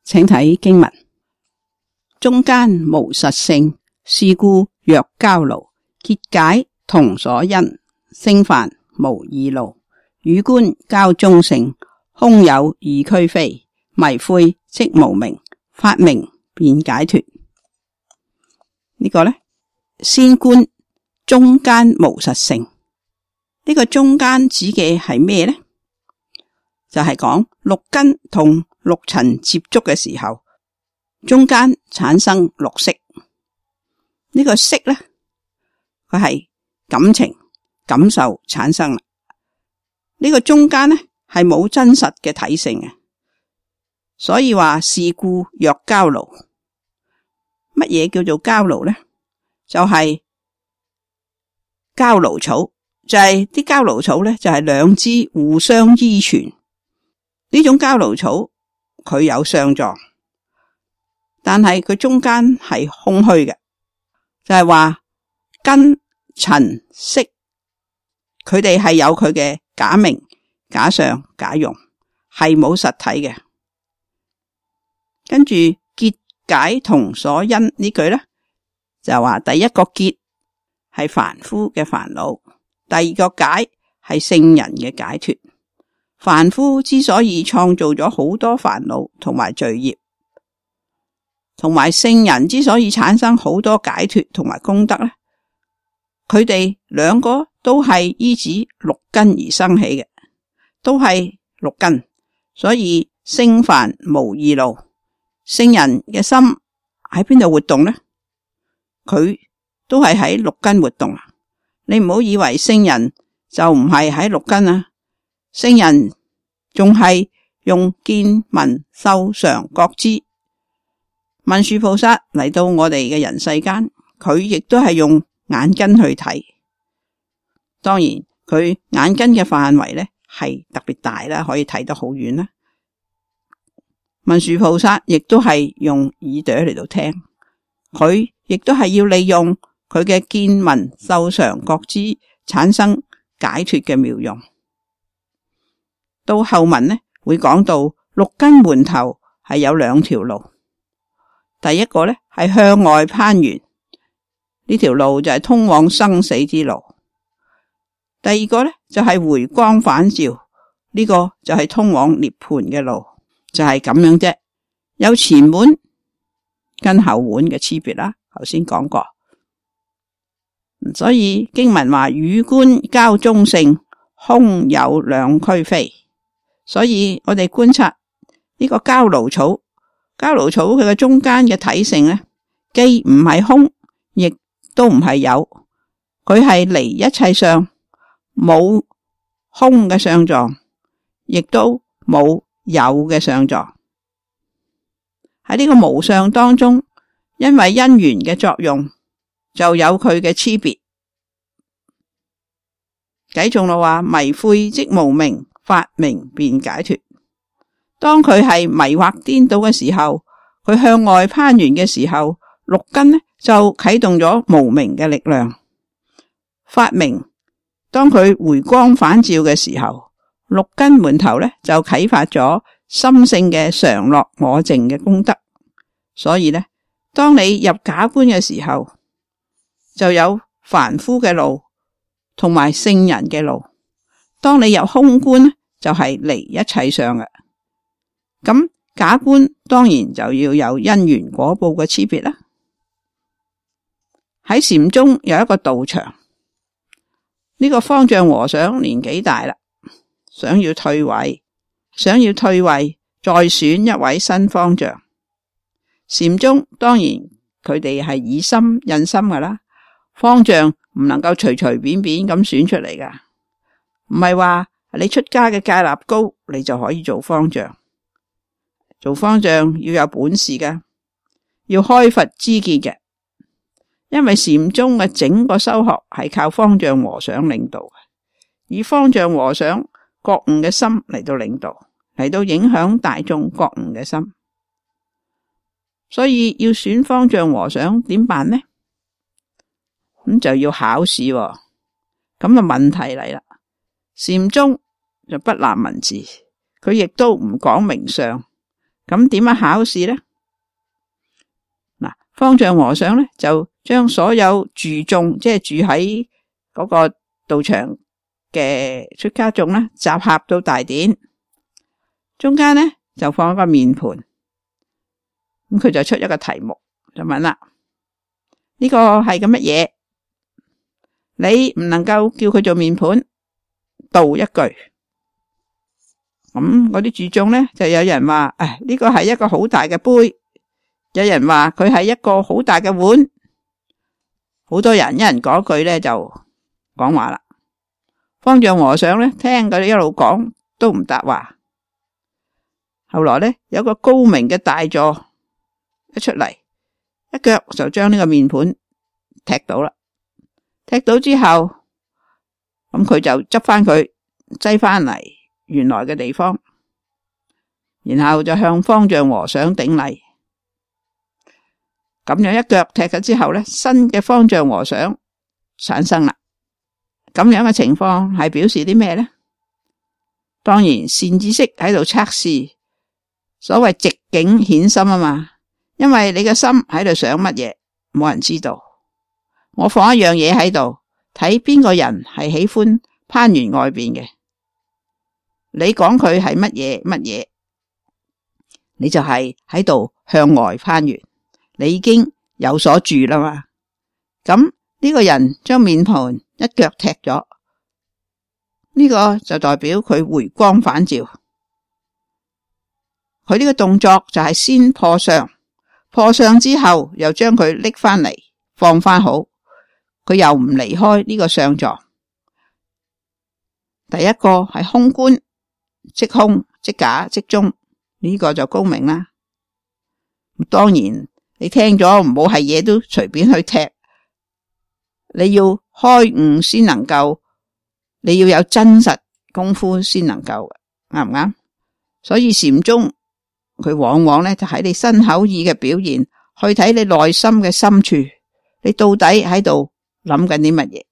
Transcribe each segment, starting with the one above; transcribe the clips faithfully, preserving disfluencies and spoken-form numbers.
請睇經文：中間無實性，是故若交勞，結解同所因，聖凡無二路，與觀交中性，空有二俱非，迷悔即無明，發明便解脫。呢個呢，先觀中間無實性。呢個中間指嘅係咩呢？就係講六根同六塵接觸嘅時候，中間產生六識。呢個識呢，佢係感情感受產生啦。呢個中間呢，係冇真實嘅體性嘅，所以話是故若交勞。乜嘢叫做交勞呢？就係交勞草，就係啲交勞草呢，就係兩支互相依存。呢種交勞草佢有相狀，但係佢中間係空虛嘅，就係話根塵識，佢哋係有佢嘅假名、假相、假用，係冇實體嘅。跟住結解同所因呢句呢，就話第一個結係凡夫嘅煩惱，第二個解係聖人嘅解脫。凡夫之所以創造咗好多煩惱同埋罪業，同埋聖人之所以產生好多解脫同埋功德呢，佢哋兩個都係依止六根而生起嘅，都係六根，所以聖凡無二路。聖人嘅心喺邊度活動呢？佢都係喺六根活動啊！你唔好以為聖人就唔係喺六根啊，聖人仲係用見聞嗅嘗覺知。文殊菩薩嚟到我哋嘅人世間，佢亦都係用眼根去睇。當然佢眼根嘅範圍呢係特別大啦，可以睇得好遠啦。文殊菩薩亦都係用耳朵嚟到聽，佢亦都係要利用佢嘅見聞嗅嘗覺知產生解脫嘅妙用。到後文呢會講到六根門頭係有兩條路，第一個呢係向外攀緣，呢條路就係通往生死之路；第二個呢就係回光返照，呢個就係通往涅槃嘅路。就係咁樣啫，有前門跟後門嘅區別啦。頭先講過，所以經文話與觀交中性，空有兩俱非。所以我哋觀察呢個交勞草，交勞草佢嘅中間嘅體性呢，既唔係空，亦都唔係有，佢係離一切相，冇空嘅相狀，亦都冇有嘅相狀。喺呢個無相當中，因為因緣嘅作用，就有佢嘅差別。偈頌咯話迷悔即無明，發明便解脫。當佢係迷惑顛倒嘅時候，佢向外攀緣嘅時候，六根呢就啟動咗無明嘅力量。發明當佢回光返照嘅時候，六根門頭呢就啟發咗心性嘅常樂我淨嘅功德。所以呢，當你入假觀嘅時候，就有凡夫嘅路同埋聖人嘅路。當你入空觀，就係離一切相嘅。咁假觀當然就要有因緣果報嘅差別啦。喺禪宗有一個道場，呢個方丈和尚年紀大啦，想要退位，想要退位再選一位新方丈。禪宗當然佢哋係以心印心噶啦，方丈唔能夠隨隨便便咁選出嚟噶，唔係話你出家嘅戒律高，你就可以做方丈。做方丈要有本事噶，要開佛知見嘅，因為禪宗嘅整個修學係靠方丈和尚領導嘅，以方丈和尚覺悟嘅心嚟到領導，嚟到影響大眾覺悟嘅心。所以要選方丈和尚點辦呢？咁就要考試喎。咁啊問題嚟啦，禪宗就不立文字，佢亦都唔講名相，咁點樣考試呢？嗱，方丈和尚咧就將所有住眾，即係住喺嗰個道場嘅出家眾啦，集合到大殿中間咧，就放一個面盤。咁佢就出一個題目，就問啦：呢個係咁乜嘢？你唔能夠叫佢做面盤，道一句。咁嗰啲住眾咧，就有人話：誒，呢個係一個好大嘅杯。有人話佢係一個好大嘅碗。好多人一人講句咧，就講話啦。方丈和尚咧聽佢哋一路講都唔答話。後來咧有個高明嘅大座一出嚟，一腳就將呢個面盤踢倒啦。踢倒之後，咁佢就執翻佢，擠翻嚟原來嘅地方，然後就向方丈和尚頂禮。咁樣一腳踢咗之後咧，新嘅方丈和尚產生啦。咁樣嘅情況係表示啲咩呢？當然善知識喺度測試，所謂寂境顯心啊嘛。因為你嘅心喺度想乜嘢，冇人知道。我放一樣嘢喺度，睇邊個人係喜歡攀緣外邊嘅。你講佢係乜嘢乜嘢，你就係喺度向外攀緣。你已經有所住啦嘛。咁呢個人將面盤一腳踢咗，呢個就代表佢回光返照。佢呢個動作就係先破相，破相之後又將佢拎翻嚟放翻好，佢又唔離開呢個相狀。第一個係空觀，即空即假即中，呢個就高明啦。當然你聽咗唔好係嘢都隨便去踢，你要開悟先能夠，你要有真實功夫先能夠，啱唔啱？所以禪宗佢往往咧就喺你身口意嘅表現，去睇你內心嘅深處，你到底喺度諗緊啲乜嘢？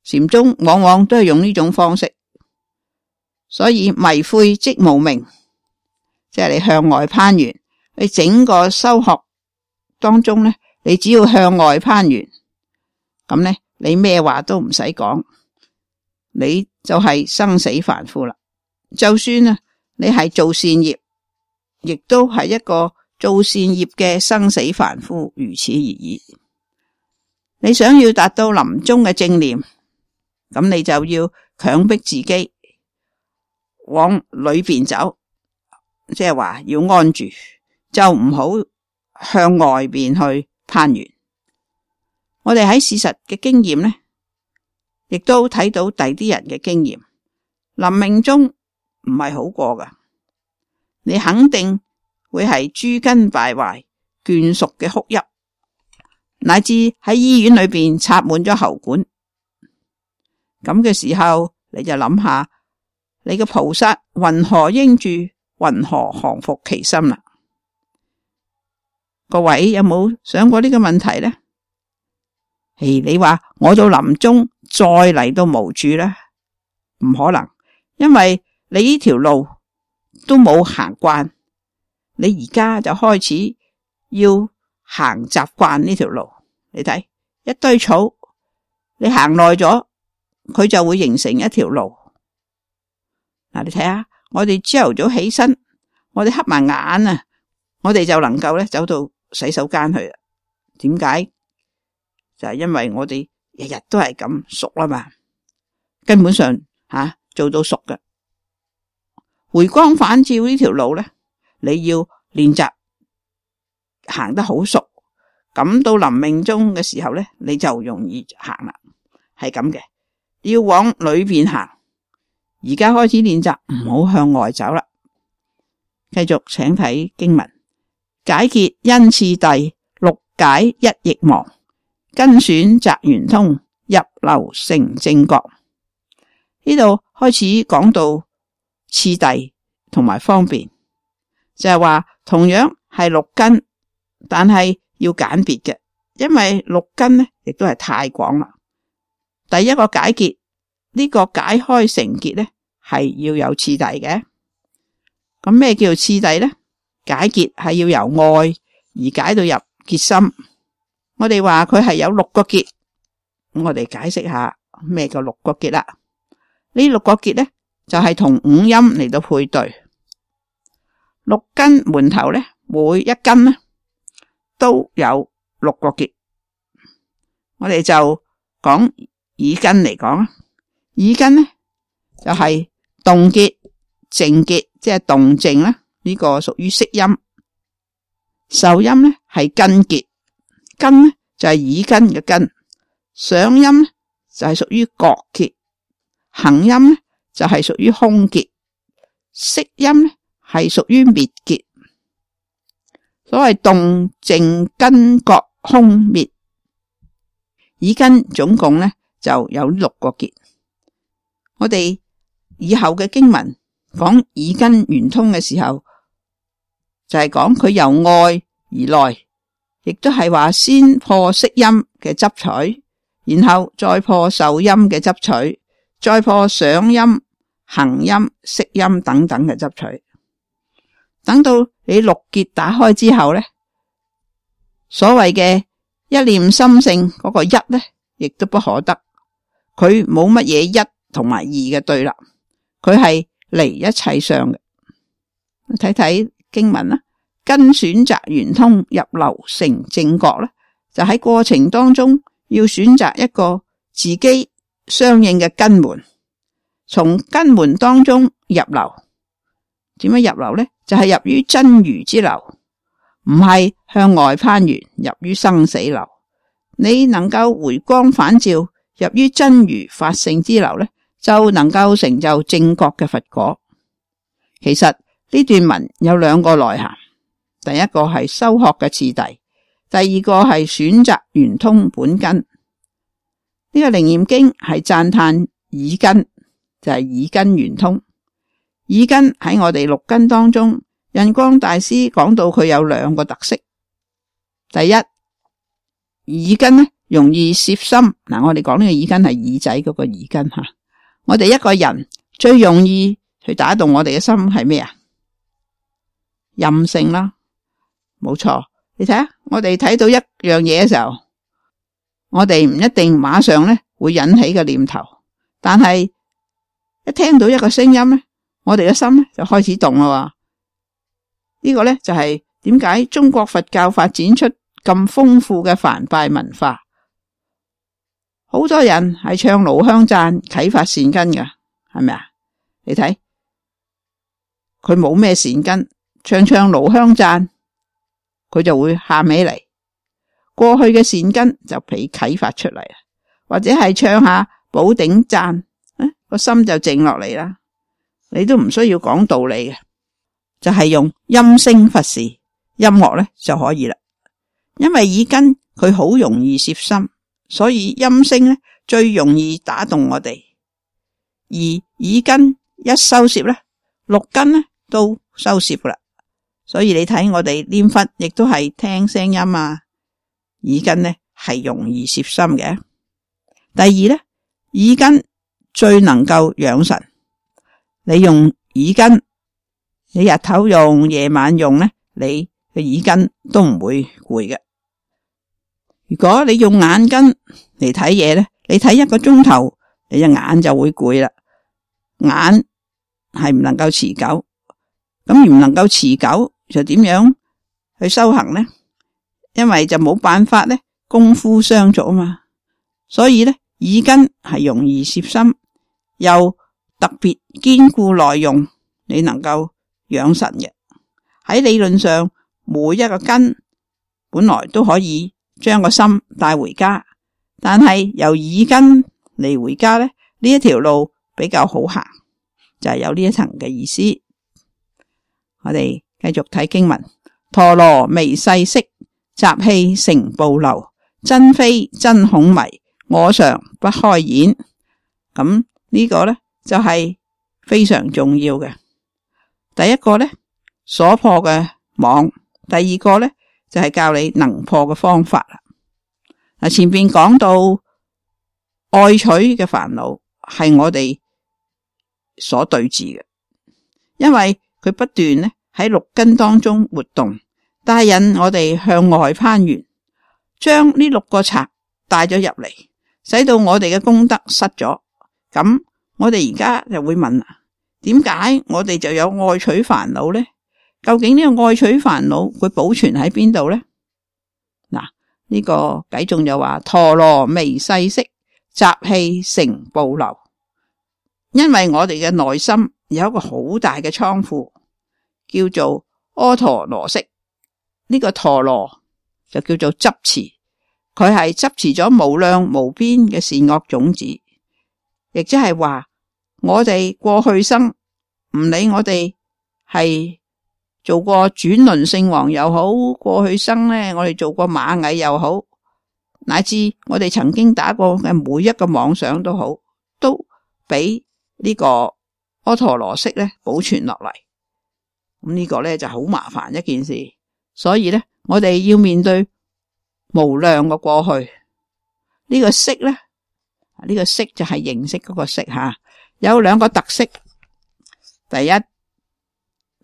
禪宗往往都係用呢種方式，所以迷悔即無明，即係你向外攀緣。你整個修學當中咧，你只要向外攀緣，咁咧你咩話都唔使講，你就係生死凡夫啦。就算啊，你係做善業，亦都係一個做善業嘅生死凡夫，如此而已。你想要達到臨終嘅正念，咁你就要強迫自己往裏邊走，即係話要安住。就唔好向外邊去攀緣。我哋喺事實嘅經驗呢，亦都睇到第啲人嘅經驗。臨命終唔係好過噶，你肯定會係諸根敗壞、眷屬嘅哭泣，乃至喺醫院裏邊插滿咗喉管。咁嘅時候，你就諗下，你嘅菩薩云何應住，云何降伏其心啦？各位有冇想過呢個問題呢？誒，你話我到臨終再嚟到無住呢？唔可能，因為你呢條路都冇行慣，你而家就開始要行習慣呢條路。你睇一堆草，你行耐咗，佢就會形成一條路。嗱，你睇下，我哋朝頭早起身，我哋黑埋眼啊，我哋就能夠咧走到洗手間去啦。點解？就係因為我哋日日都係咁熟啦嘛，根本上吓、啊、做到熟嘅。回光返照呢條路咧，你要練習行得好熟，咁到臨命終嘅時候咧，你就容易行啦。係咁嘅，要往裏邊行。而家開始練習，唔好向外走啦。繼續請睇經文。解結因次第，六解一亦忘。根選擇圓通，入流成正覺。呢度開始講到次第同埋方便，就係話同樣係六根，但係要揀別嘅，因為六根呢亦都係太廣啦。第一個解結，呢個解開成結呢係要有次第嘅。咁咩叫做次第呢？解結係要由外而解到入結心。我哋話佢係有六個結，我哋解釋下咩叫六個結啦。呢六個結呢，就係同五音嚟到配對。六根門頭呢，每一根呢都有六個結。我哋就講耳根嚟講，耳根呢就係動結、靜結，即係動靜啦。呢個屬於色音。受音呢係根結，根呢就係耳根嘅根。想音呢就係屬於角結，行音呢就係屬於空結，色音呢係屬於滅結。所謂動靜根覺空滅，耳根總共呢就有六個結。我哋以後嘅經文講耳根圓通嘅時候，就係講佢由外而內，亦都係話先破色音嘅執取，然後再破受音嘅執取，再破想音、行音、識音等等嘅執取。等到你六結打開之後呢，所謂嘅一念心性嗰個一呢，亦都不可得。佢冇乜嘢一同埋二嘅對立，佢係離一切相嘅。睇睇經文啦，根選擇圓通入流成正覺咧，就喺過程當中要選擇一個自己相應嘅根門，從根門當中入流。點樣入流呢？就係、是、入於真如之流，唔係向外攀緣入於生死流。你能夠回光返照入於真如法性之流呢，就能夠成就正覺嘅佛果。其實呢段文有兩個內涵，第一個係修學嘅次第，第二個係選擇圓通本根。呢、這個楞嚴經係讚歎耳根，就係、是、耳根圓通。耳根喺我哋六根當中，印光大師講到佢有兩個特色。第一，耳根呢容易攝心。嗱，我哋講呢個耳根係耳仔嗰個耳根吓。我哋一個人最容易去打動我哋嘅心係咩啊？任性啦，冇錯。你睇下，我哋睇到一樣嘢嘅時候，我哋唔一定馬上咧會引起個念頭，但係一聽到一個聲音咧，我哋嘅心咧就開始動啦。呢個咧就係點解中國佛教發展出咁豐富嘅梵唄文化。好多人係唱爐香讚啟發善根㗎，係咪啊？你睇佢冇咩善根，唱唱爐香讚佢就會喊起嚟。過去嘅善根就被啟發出嚟，或者係唱下寶頂讚，誒個心就靜落嚟啦。你都唔需要講道理嘅，就係用音聲佛事音樂咧就可以啦。因為耳根佢好容易攝心，所以音聲咧最容易打動我哋。而耳根一收攝咧，六根咧都收攝噶啦。所以你睇我哋念佛亦都係聽聲音啊，耳根咧係容易攝心嘅。第二咧，耳根最能夠養神。你用耳根，你日頭用夜晚用咧，你嘅耳根都唔會攰嘅。如果你用眼根嚟睇嘢咧，你睇一個鐘頭，你隻眼就會攰啦。眼係唔能夠持久，咁而唔能夠持久就點樣去修行呢？因為就冇辦法咧，功夫相續啊嘛。所以咧，耳根係容易攝心，又特別堅固耐用，你能夠養神嘅。喺理論上，每一個根本來都可以將個心帶回家，但係由耳根嚟回家咧，呢一條路比較好行，就係有呢一層嘅意思。我哋繼續睇經文：陀羅微細色，習氣成暴流，真非真恐迷，我常不開演。咁呢個咧就係非常重要嘅。第一個咧，所破嘅網；第二個咧就係教你能破嘅方法啦。嗱，前邊講到愛取嘅煩惱係我哋所對治嘅，因為佢不斷咧喺六根當中活動，帶引我哋向外攀緣，將呢六個賊帶咗入嚟，使到我哋嘅功德失咗。咁我哋而家就會問啦，點解我哋就有愛取煩惱呢？究竟呢個愛取煩惱佢保存喺邊度呢？嗱，呢個偈頌就話陀羅微細色，習氣成暴流。因為我哋嘅內心有一個好大嘅倉庫，叫做阿陀羅識。呢、這個陀羅就叫做執持，佢係執持咗無量無邊嘅善惡種子，亦即係話我哋過去生唔理我哋係做過轉輪聖王又好，過去生呢我哋做過螞蟻又好，乃至我哋曾經打過嘅每一個妄想都好，都俾呢個阿陀羅識咧保存落嚟。咁呢個咧就好麻煩一件事，所以咧我哋要面對無量嘅過去。呢個識咧，呢個識就係認識嗰個識吓，有兩個特色。第一，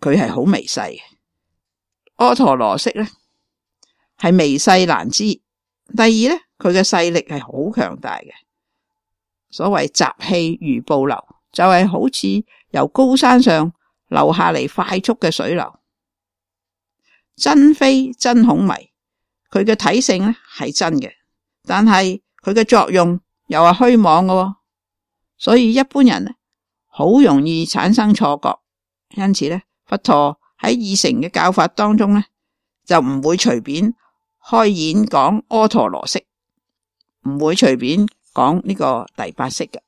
佢係好微細嘅，阿陀羅識咧係微細難知。第二咧，佢嘅勢力係好強大嘅。所謂習氣如暴流，就係好似由高山上流下嚟快速嘅水流。真非真孔迷，佢嘅體性咧係真嘅，但係佢嘅作用又係虛妄嘅，所以一般人咧好容易產生錯覺。因此咧，佛陀喺二乘嘅教法當中咧，就唔會隨便開演講阿陀羅識，唔會隨便講呢個第八識嘅。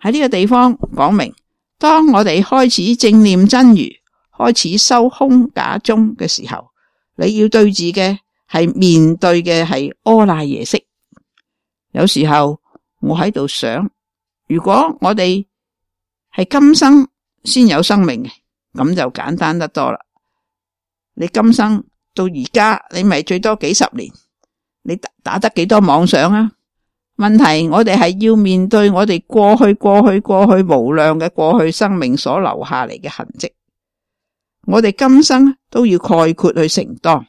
喺呢個地方講明，當我哋開始正念真如，開始修空假中嘅時候，你要對治嘅係面對嘅係阿賴耶識。有時候我喺度想，如果我哋係今生先有生命嘅，咁就簡單得多啦。你今生到而家，你咪最多幾十年，你打得幾多妄想啊？問題我哋係要面對我哋過去過去過去無量嘅過去生命所留下嚟嘅痕跡，我哋今生都要概括去承當。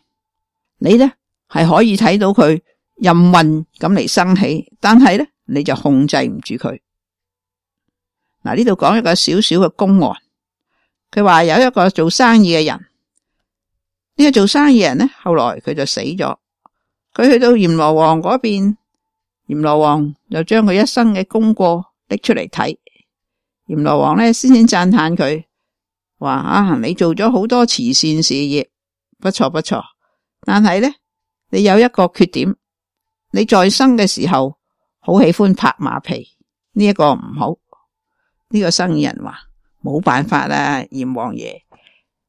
你呢係可以睇到佢任運咁嚟生起，但係呢你就控制唔住佢。嗱，呢度講一個小小嘅公案，佢話有一個做生意嘅人，呢、這個做生意人呢後來佢就死咗，佢去到閻羅王嗰邊，閻羅王就將佢一生嘅功過拎出嚟睇。閻羅王呢先先讚嘆佢，話啊，你做咗好多慈善事業，不錯不錯，但係呢你有一個缺點，你在生嘅時候好喜歡拍馬屁，呢、這、一個唔好。呢、這個生意人話冇辦法啦，閻王爺，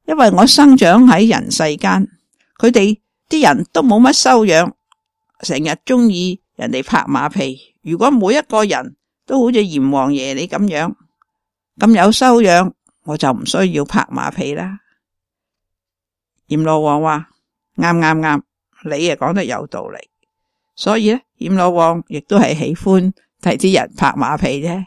因為我生長喺人世間，佢哋啲人都冇乜修養，成日中意人哋拍馬屁。如果每一個人都好似閻王爺你咁樣咁有修養，我就唔需要拍馬屁啦。閻羅王話啱啱啱，你啊講得有道理。所以咧，閻羅王亦都係喜歡睇啲人拍馬屁啫。